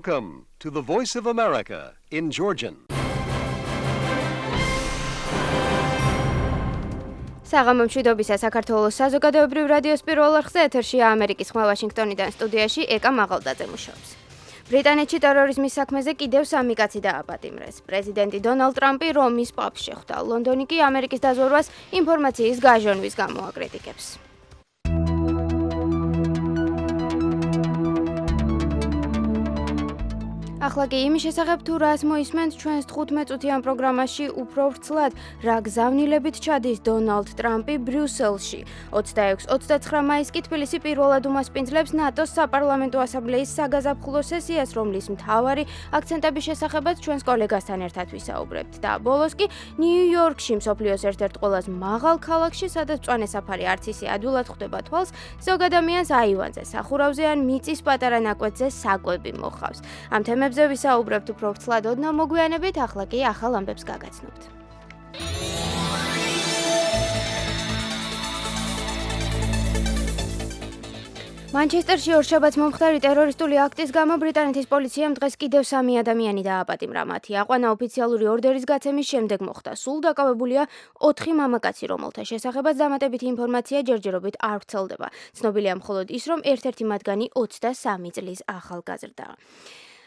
Welcome to the Voice of America in Georgian. საღამო მშვიდობისა საქართველოს საზოგადოებრივ რადიოს პირველ არხზე ეთერშია ამერიკის ხმა ვაშინგტონიდან სტუდიაში ეკა მაღალდაძე მუშაობს. ბრიტანეთში ტერორიზმის საქმეზე კიდევ 3 კაცი დააპატიმრეს. პრეზიდენტი დონალდ ტრამპი რომის პაპს შეხვდა. ლონდონი კი ამერიკის დაზვერვას ინფორმაციის გაჟონვის გამო აკრიტიკებს. ახლა კი იმის შესახებ თუ რას მოისმენთ ჩვენს 15 წუთიან პროგრამაში უფრო ვრცლად, რა გზავნილებით ჩადის დონალდ ტრამპი ბრიუსელში. 26-29 მაისს კი თბილისი პირველად უმასპინძლებს ნატოს საპარლამენტო ასამბლეის საგაზაფხულო სესიას, რომლის მთავარი აქცენტების შესახებაც ჩვენს კოლეგასთან ერთად ვისაუბრებთ. და ბოლოს კი ნიუ-იორკში, მსოფლიოს ერთ-ერთ ყველაზე მაღალ ქალაქში, სადაც მწვანე საფარი არც ისე ადვილად ხვდება თვალს, ზოგ ადამიანს აივანზე, სახურავზე ან მიწის პატარა ნაკვეთზე საკვები მოხავს. ამ თემებზე ვისაუბრებთ უფრო ვრცლად ოდნავ მოგვიანებით, ახლა კი ახალ ამბებს გაგაცნობთ. მანჩესტერში ორშაბათს მომხდარი ტერორისტული აქტის გამო ბრიტანეთის პოლიციამ დღეს კიდევ 3 ადამიანი დააპატიმრა. მათი აყვანა ოფიციალური ორდერის გაცემის შემდეგ მოხდა. სულ დაკავებულია 4 მამაკაცი, რომელთა შესახებაც დამატებითი ინფორმაცია ჯერჯერობით არ ვრცელდება. ცნობილია მხოლოდ ის, რომ ერთ-ერთი მათგანი 23 წლის ახალგაზრდაა.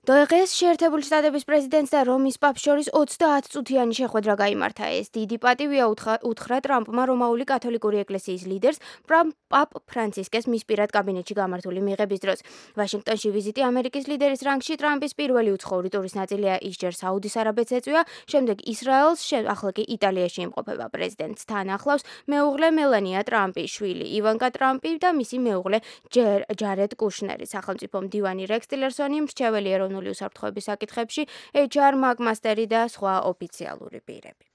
დღეს შეერთებული შტატების პრეზიდენტს და რომის პაპს შორის 30 წუთიანი შეხვედრა გაიმართა. ეს დიდი პატივია უთხრა ტრამპმა რომაული კათოლიკური ეკლესიის ლიდერს პაპ ფრანცისკეს მის პირად კაბინეტში გამართული მიღების დროს. ვაშინგტონში ვიზიტი ამერიკის ლიდერის რანგში ტრამპის პირველი უცხოური ტურის ნაწილია. ის ჯერ საუდის არაბეთს ეწვია, შემდეგ ისრაელს, ახლა კი იტალიაში იმყოფება. პრეზიდენტს თან ახლავს მეუღლე მელანია ტრამპის შვილი ივანკა ტრამპი და მისი მეუღლე ჯარედ კუშნერი. სახელმწიფო მდივანი რექს ტილერსონი, მრჩეველი ეროვნული უსაფრთხოების საკითხებში, HR მაკმასტერი და სხვა ოფიციალური პირები.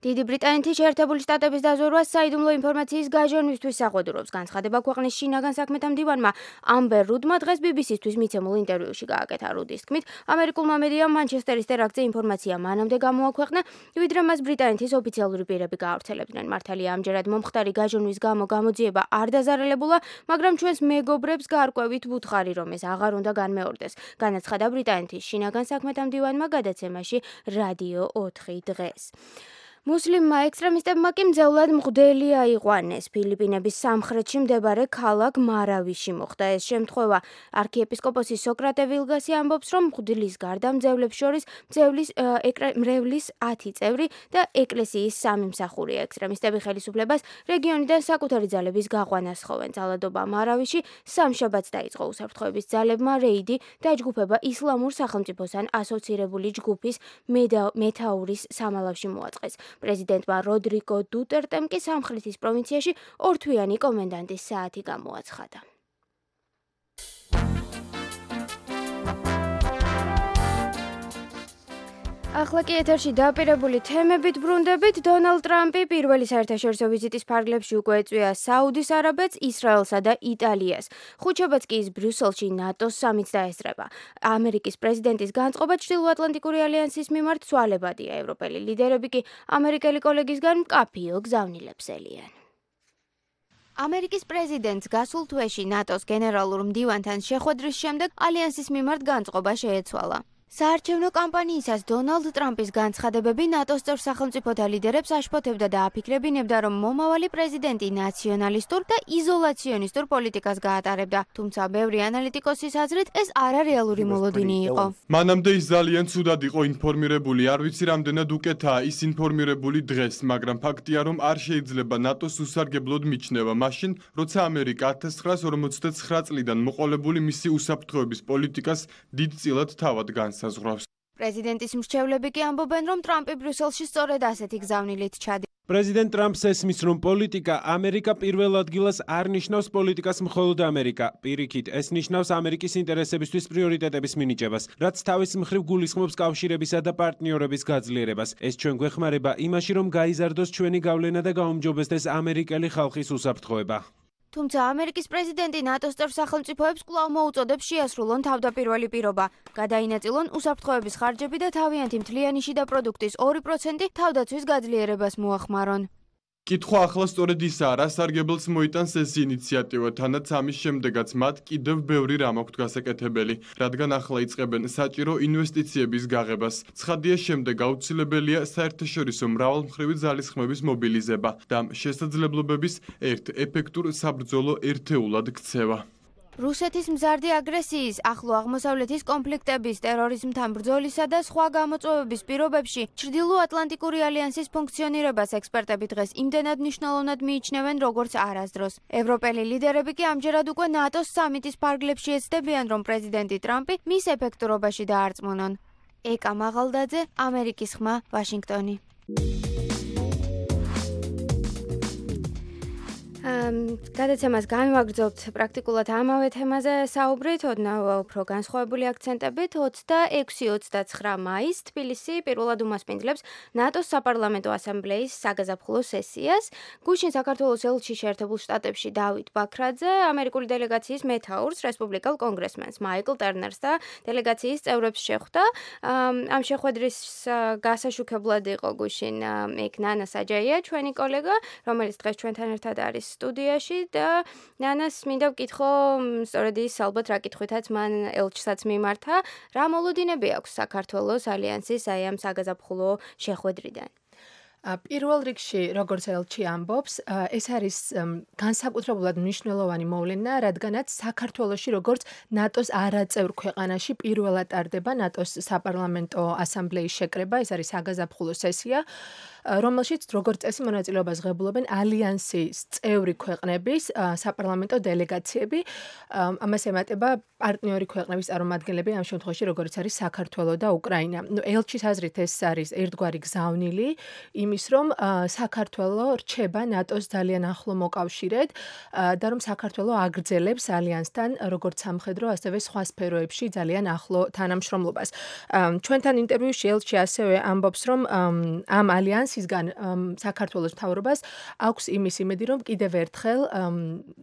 დიდი ბრიტანეთის შეერთებული შტატების დაზვერვას საიდუმლო ინფორმაციის გაჟონვისთვის საყვედურობს. განცხადება ქვეყნის შინაგან საქმეთა მდივანმა ამბერ რუდმა დღეს BBC-თვის მიცემულ ინტერვიუში გააკეთა. რუდის თქმით, ამერიკულმა მედიამ მანჩესტერის ტერაქტზე ინფორმაცია მანამდე გამოაქვეყნა, ვიდრე მას ბრიტანეთის ოფიციალური პირები გაავრცელებდნენ. მართალია, ამჯერად მომხდარი გაჟონვის გამო გამოძიება არ დაზარალებულა, მაგრამ ჩვენს მეგობრებს გარკვევით ვუთხარი, რომ ეს აღარ უნდა განმეორდეს. განაცხადა ბრიტანეთის შინაგან საქმეთა მდივანმა გადაცემაში რადიო 4 დღეს. მუსლიმმა ექსტრემისტებმა კი მძევლად მღვდელი აიყვანეს. ფილიპინების სამხრეთში მდებარე ქალაქ მარავიში მოხდა ეს შემთხვევა. არქიეპისკოპოსი სოკრატე ვილგასი ამბობს, რომ მღვდლის გარდა მძევლებს შორის მრევლის 10 წევრი და ეკლესიის 3 მსახურია. ექსტრემისტები ხელისუფლებას რეგიონიდან საკუთარი ძალების გაყვანას სთხოვენ. ძალადობა მარავიში სამშაბათს დაიწყო. უსაფრთხოების ძალებმა რეიდი დაჯგუფება ისლამურ სახელმწიფოსთან ასოცირებული ჯგუფის მეთაურის სამალავში მოაწყეს. პრეზიდენტმა როდრიგო დუტერტემ კი სამხრეთის პროვინციაში 2 თვიანი კომენდანტის საათი გამოაცხადა. ახლა კი ეთერში დაპირებული თემებით ბრუნდებით. დონალდ ტრამპი პირველი საერთაშორისო ვიზიტის ფარგლებში უკვე ეწვია საუდის არაბეთს, ისრაელსა და იტალიას. ხუთშაბათს კი ის ბრიუსელში ნატოს სამიტს დაესწრება. ამერიკის პრეზიდენტის განწყობა ჩრდილოატლანტიკური ალიანსის მიმართ ცვალებადია. ევროპელი ლიდერები კი ამერიკელი კოლეგისგან მკაფიო გზავნილებს ელიან. ამერიკის პრეზიდენტს გასულ თვეში ნატოს გენერალურ მდივანთან შეხვედრის შემდეგ ალიანსის მიმართ განწყობა შეეცვალა. საარჩევნო კამპანიისას დონალდ ტრამპის განცხადებები ნატოს წევრ სახელმწიფოთა ლიდერებს აშფოთებდა და აფიქრებინებდა, რომ მომავალი პრეზიდენტი ნაციონალისტურ და იზოლაციონისტურ პოლიტიკას გაატარებდა. თუმცა ბევრი ანალიტიკოსის აზრით ეს არარეალური მოლოდინი იყო. მანამდე ის ძალიან ცუდად იყო ინფორმირებული, არ ვიცი რამდენად უკეთაა ის ინფორმირებული დღეს, მაგრამ ფაქტია, რომ არ შეიძლება ნატოს უსარგებლოდ მიჩნევა მაშინ, როცა ამერიკა 1949 წლიდან მოყოლებული მისი უსაფრთხოების პოლიტიკას დიდწილად თავად განსაზღვრავს. პრეზიდენტის მრჩევლები კი ამბობენ, რომ ტრამპი ბრიუსელში სწორედ ასეთი გზავნილით ჩადის. პრეზიდენტ ტრამპს ესმის, რომ პოლიტიკა ამერიკა პირველ ადგილას არ ნიშნავს პოლიტიკას მხოლოდ ამერიკა. პირიქით, ეს ნიშნავს ამერიკის ინტერესებისთვის პრიორიტეტების მინიჭებას, რაც თავის მხრივ გულისხმობს კავშირებისა და პარტნიორების გაძლიერებას. ეს ჩვენ გვეხმარება იმაში, რომ გაიზარდოს ჩვენი გავლენა და გაუმჯობესდეს ამერიკელი ხალხის უსაფრთხოება. თუმცა ამერიკის პრეზიდენტი ნატოს წევრ სახელმწიფოებს კვლავ მოუწოდებს შეასრულონ თავდაპირველი პირობა. გადაინაწილონ უსაფრთხოების ხარჯები და თავიანთი მთლიანი შიდა პროდუქტის 2% თავდაცვის გაძლიერებას მოახმარონ. კითხვა ახლა სწორედ ისაა, რა სარგებელს მოიტანს ეს ინიციატივა, თანაც ამის შემდეგაც მათ კიდევ ბევრი რამ აქვთ გასაკეთებელი, რადგან ახლა იწყებენ საჭირო ინვესტიციების გაღებას. ცხადია, შემდეგ აუცილებელია საერთაშორისო მრავალმხრივი ძალისხმების მობილიზება და ამ შესაძლებლობების ერთ ეფექტურ საბრძოლო ერთეულად ქცევა. რუსეთის მზარდი აგრესიის, ახლო აღმოსავლეთის კონფლიქტების, ტერორიზმთან ბრძოლისა და სხვა გამოწვევების პირობებში ჩრდილო-ატლანტიკური ალიანსის ფუნქციონირებას ექსპერტები დღეს იმდენად მნიშვნელოვნად მიიჩნევენ, როგორც არასდროს. ევროპელი ლიდერები კი ამჯერად უკვე ნატოს სამიტის ფარგლებში ეცდებიან, რომ პრეზიდენტი ტრამპი მის ეფექტურობაში დაარწმუნონ. ეკა მაღალდაძე, ამერიკის ხმა, ვაშინგტონი. გადაცემას განვაგრძობთ პრაქტიკულად ამავე თემაზე საუბრით, უფრო განსხვავებული აქცენტებით 26-29 მაისს თბილისი პირველად უმასპინძლებს ნატოს საპარლამენტო ასამბლეის საგაზაფხულო სესიას. გუშინ საქართველოს ელჩი შეერთებულ შტატებში დავით ბაქრაძე ამერიკული დელეგაციის მეთაურს, რესპუბლიკელ კონგრესმენს მაიკლ ტერნერს და დელეგაციის წევრებს შეხვდა. ამ შეხვედრის გასაშუქებლად იყო გუშინ იქ ნანა საჯაია, ჩვენი კოლეგა, რომელიც დღეს ჩვენთან ერთად არის სტუდიაში და ნანას მინდა ვკითხო, სწორედ ის ალბათ რა კითხვითაც მან ელჩსაც მიმართა, რა მოლოდინები აქვს საქართველოს ალიანსის აი ამ საგაზაფხულო შეხვედრიდან? პირველ რიგში, როგორც ელჩი ამბობს, ეს არის განსაკუთრებულად მნიშვნელოვანი მოვლენა, რადგანაც საქართველოში, როგორც ნატოს არაწევრ ქვეყანაში პირველად ტარდება ნატოს საპარლამენტო ასამბლეის შეკრება, ეს არის საგაზაფხულო სესია, რომელშიც როგორც წესი მონაწილეობას ღებულობენ ალიანსის წევრი ქვეყნების საპარლამენტო დელეგაციები. ამას ემატება პარტნიორი ქვეყნების წარმომადგენლები, ამ შემთხვევაში როგორც არის საქართველო და უკრაინა. ელჩის აზრით ეს არის ერთგვარი გზავნილი იმის, რომ საქართველო რჩება ნატოს ძალიან ახლო მოკავშირედ და რომ საქართველო აგრძელებს ალიანსთან როგორც სამხედრო, ასევე სხვა სფეროებში ძალიან ახლო თანამშრომლობას. ჩვენთან ინტერვიუში ელჩი ასევე ამბობს, რომ ამ ალიანსისგან საქართველოს მთავრობას აქვს იმის იმედი, რომ კიდევ ერთხელ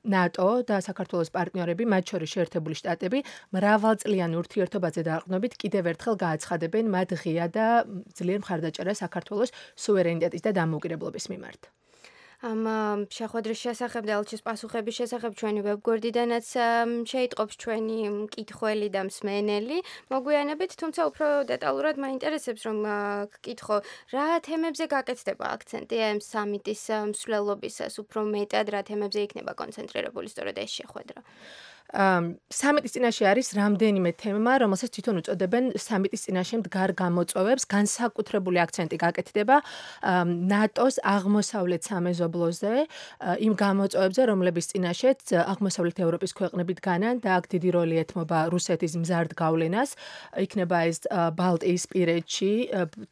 ნატო და საქართველოს პარტნიორები, მათ შორის შეერთებული შტატები, მრავალწლიან ურთიერთობაზე დაყრდნობით კიდევ ერთხელ გააცხადებენ მათ ღია და ძლიერ მხარდაჭერას საქართველოს სუვერენიტეტის და დამოუკიდებლობის მიმართ. ამ შეხვედრის შესახებ და ელჩის პასუხების შესახებ ჩვენი ვებგვერდიდანაც შეიტყობს ჩვენი მკითხველი და მსმენელი მოგვიანებით, თუმცა უფრო დეტალურად მაინტერესებს, რომ გკითხო, რა თემებზე გაკეთდება აქცენტი ამ სამიტის მსვლელობისას, უფრო მეტად რა თემებზე იქნება კონცენტრირებული სწორედ ეს შეხვედრა? სამიტის წინაშე არის რამდენიმე თემა, რომელსაც თვითონ უწოდებენ სამიტის წინაშე მდგარ გამოწვევებს, განსაკუთრებული აქცენტი გაკეთდება ნატოს აღმოსავლეთ სამეზობლოზე, იმ გამოწვევებზე, რომლების წინაშეც აღმოსავლეთ ევროპის ქვეყნები დგანან და აქ დიდი როლი ეთმობა რუსეთის მზარდ გავლენას, იქნება ეს ბალტიისპირეთში,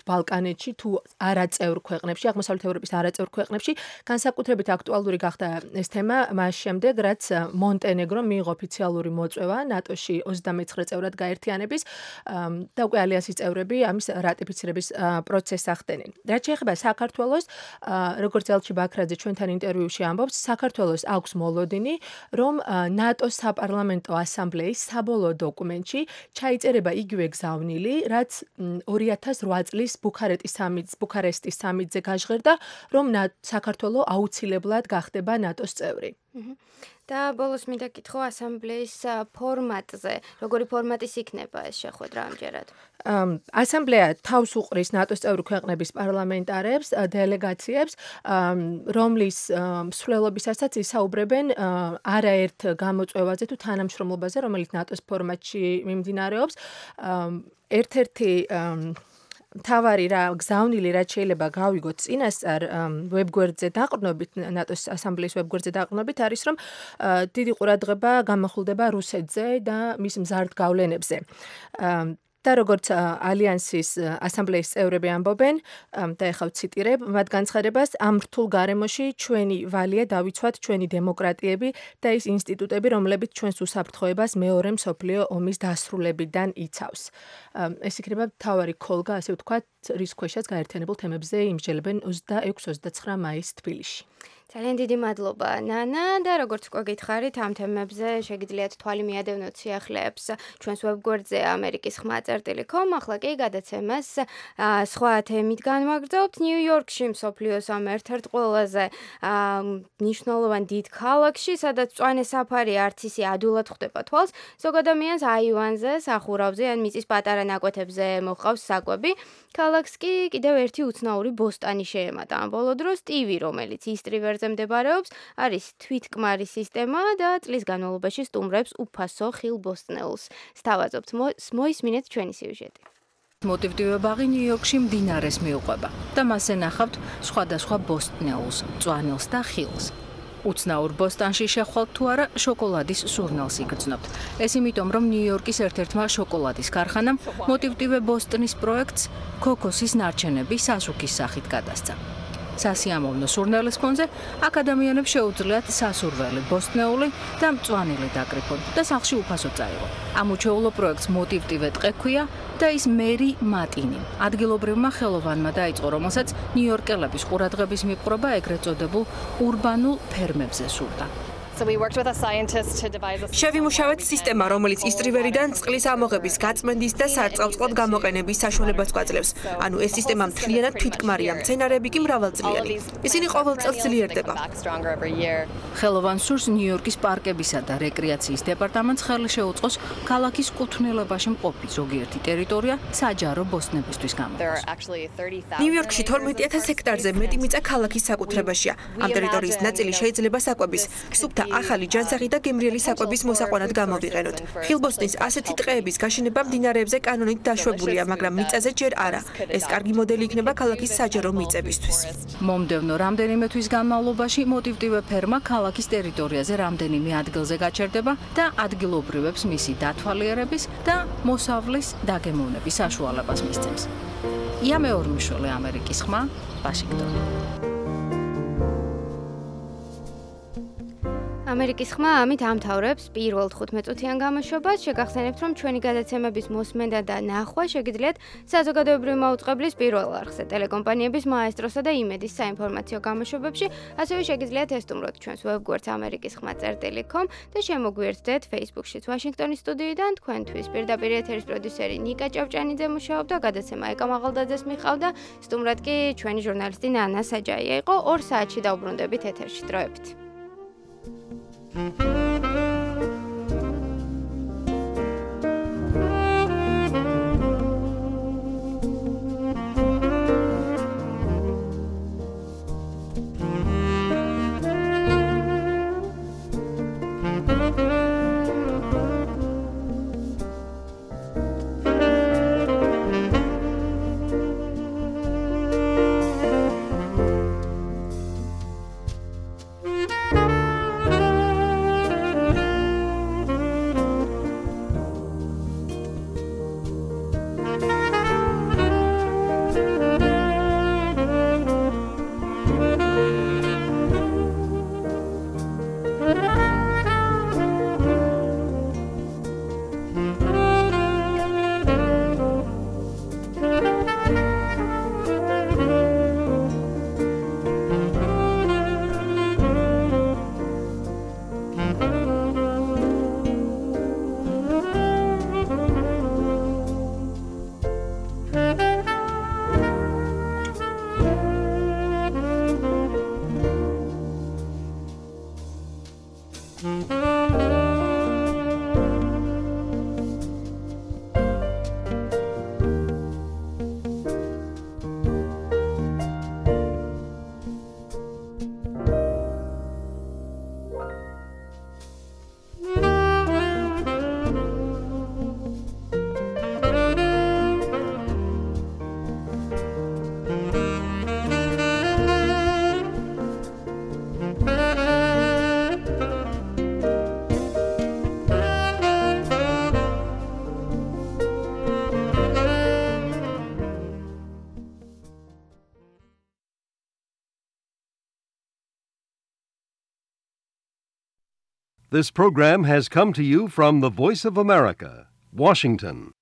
ბალკანეთში თუ არაწევრ ქვეყნებში, აღმოსავლეთ ევროპის არაწევრ ქვეყნებში, განსაკუთრებით აქტუალური გახდა ეს თემა მას შემდეგ, რაც მონტენეგრომ მიიღო ოფიციალური მოწვევა ნატოში 29 წევრად გაერთიანების და უკვე ალიანსის წევრები ამის რატიფიცირების პროცესს ახდენენ. რაც შეეხება საქართველოს, როგორც ელჩი ბაქრაძე ჩვენთან ინტერვიუში ამბობს, საქართველოს აქვს მოლოდინი, რომ ნატოს საპარლამენტო ასამბლეის საბოლოო დოკუმენტში ჩაიწერება იგივე გზავნილი, რაც 2008 წლის ბუქარესტის სამიტზე გაჟღერდა, რომ საქართველო აუცილებლად გახდება ნატოს წევრი. და ბოლოს მინდა კითხო ასამბლეის ფორმატზე. როგორი ფორმატის იქნება ეს შეხვედრა ამჯერად? ასამბლეა თავს უყრის ნატოს წევრი ქვეყნების პარლამენტარებს, დელეგაციებს, რომლის მსვლელობისასაც ისაუბრებენ არაერთ გამოწვევაზე თუ თანამშრომლობაზე, რომელიც ნატოს ფორმატში მიმდინარეობს. ერთ-ერთი მთავარი გზავნილი, რაც შეიძლება გავიგოთ წინასწარ ვებგვერდზე დაყრდნობით, ნატოს ასამბლეის ვებგვერდზე დაყრდნობით, არის, რომ დიდი ყურადღება გამახვილდება რუსეთზე და მის მზარდ გავლენებზე. და როგორც ალიანსის ასამბლეის წევრები ამბობენ, და ეხლა ვციტირებ, მათ განცხადებას, ამ რთულ გარემოში ჩვენი ვალია დავიცვათ ჩვენი დემოკრატიები და ის ინსტიტუტები, რომლებიც ჩვენს უსაფრთხოებას მეორე მსოფლიო ომის დასრულებიდან იცავს. ეს იქნება მთავარი ქოლგა, ასე ვთქვათ, რის ქვეშაც გაერთიანებულ თემებზე იმსჯელებენ 26-29 მაისს თბილისში. ძალიან დიდი მადლობა ნანა და როგორც უკვე გითხარით ამ თემებზე შეგიძლიათ თვალი მიადევნოთ სიახლეებს ჩვენს ვებგვერდზე amerikis.com ახლა კი გადაცემას სხვა თემით განვაგრძობთ ნიუ-იორკში მსოფლიოს ამ ერთ-ერთ ყველაზე მნიშვნელოვან დიდ ქალაქში სადაც მწვანე საფარი არც ისე ადვილად ხვდება თვალს ზოგ ადამიანს აივანზე სახურავზე ან მიწის პატარა ნაკვეთებზე მოჰყავს საკვები ქალაქს კი კიდევ ერთი უცნაური ბოსტანი შეემატა ამ ბოლო დროს ტივი რომელიც ისტრივერზე მდებარეობს არის თვითკმარი სისტემა და წლის განმავლობაში სტუმრებს უფასო ხილ ბოსტნეულს სთავაზობთ მოისმინეთ ჩვენი სიუჟეტი მოტივტივე ბაღი ნიუ-იორკში მდინარეს მიუყვება და მასზე ნახავთ სხვადასხვა ბოსტნეულს, მწვანილს და ხილს. უცნაურ ბოსტანში შეხვალთ თუ არა შოკოლადის სურნელს იგრძნობთ. ეს იმიტომ, რომ ნიუ-იორკის ერთ-ერთმა შოკოლადის ქარხანამ მოტივტივე ბოსტნის პროექტს ქოქოსის ნარჩენები სასუქის სახით გადასცა. სასიამოვნო სურნელის ფონზე აქ ადამიანებს შეუძლიათ სასურველი ბოსტნეული და მწვანილი დაკრიფონ და სახლში უფასო წაიღონ. ამ უჩვეულო პროექტს მოტივტივე ტყე ჰქვია და ის მერი მატინი. ადგილობრივმა ხელოვანმა დაიწყო, რომელსაც ნიუ-იორკელების ყურადღების მიპყრობა ეგრეთ წოდებულ ურბანულ ფერმებზე სურდა. შევიმუშავეთ სისტემა, რომელიც ისტრივერიდან წყლის ამოღების, გაწმენდის და სარწყავწყლად გამოყენების საშუალებას გვაძლევს. ანუ ეს სისტემა მთლიანად თვითკმარია, მცენარეები კი მრავალწლიანი. ისინი ყოველ წელს ძლიერდება. ხელოვან სურს ნიუ-იორკის პარკებისა და რეკრეაციის დეპარტამენტს ხელი შეუწყოს ქალაქის კუთვნილებაში მყოფი ზოგიერთი ტერიტორია საჯარო ბოსტნებისთვის გამოყენოს. ნიუ-იორკში 12,000 ჰექტარზე მეტი მიწა ქალაქის საკუთრებაშია. ამ ტერიტორიის ნაწილი შეიძლება საკვების, სუფთა ახალი ჯანსაღი და გემრიელი საკვების მოსაყვანად გამოვიყენოთ. ხილბოსტნის ასეთი ტყეების გაშენება მდინარეებზე კანონით დაშვებულია, მაგრამ მიწაზე ჯერ არა. ეს კარგი მოდელი იქნება ქალაქის საჯარო მიწებისთვის. მომდევნო რამდენიმე თვის განმავლობაში მოტივტივე ფერმა ქალაქის ტერიტორიაზე რამდენიმე ადგილზე გაჩერდება და ადგილობრივებს მისი დათვალიერების და მოსავლის დაგემოვნების საშუალებას მისცემს. ია მეორმიშვილი, ამერიკის ხმა, ვაშინგტონი. ამერიკის ხმა ამით ამთავრებს პირველ 15 წუთიან გამოშვებას. შეგახსენებთ, რომ ჩვენი გადაცემების მოსმენა და ნახვა შეგიძლიათ საზოგადოებრივი მაუწყებლის პირველ არხზე, ტელეკომპანიების მაესტროსა და იმედის საინფორმაციო გამოშვებებში, ასევე შეგიძლიათ ესტუმროთ ჩვენს ვებგვერდს amerikis.com და შემოგვიერთდეთ Facebook-შიც ვაშინგტონის სტუდიიდან. თქვენთვის პირდაპირ ეთერის პროდიუსერი ნიკა ჭავჭანიძე მუშაობდა, გადაცემა ეკა მაღალდაძეს მიყავდა, სტუმრად კი ჩვენი ჟურნალისტი ნანა საჯაია იყო. 2 საათში დაუბრუნდებით ეთერში. დროებით. This program has come to you from the Voice of America, Washington.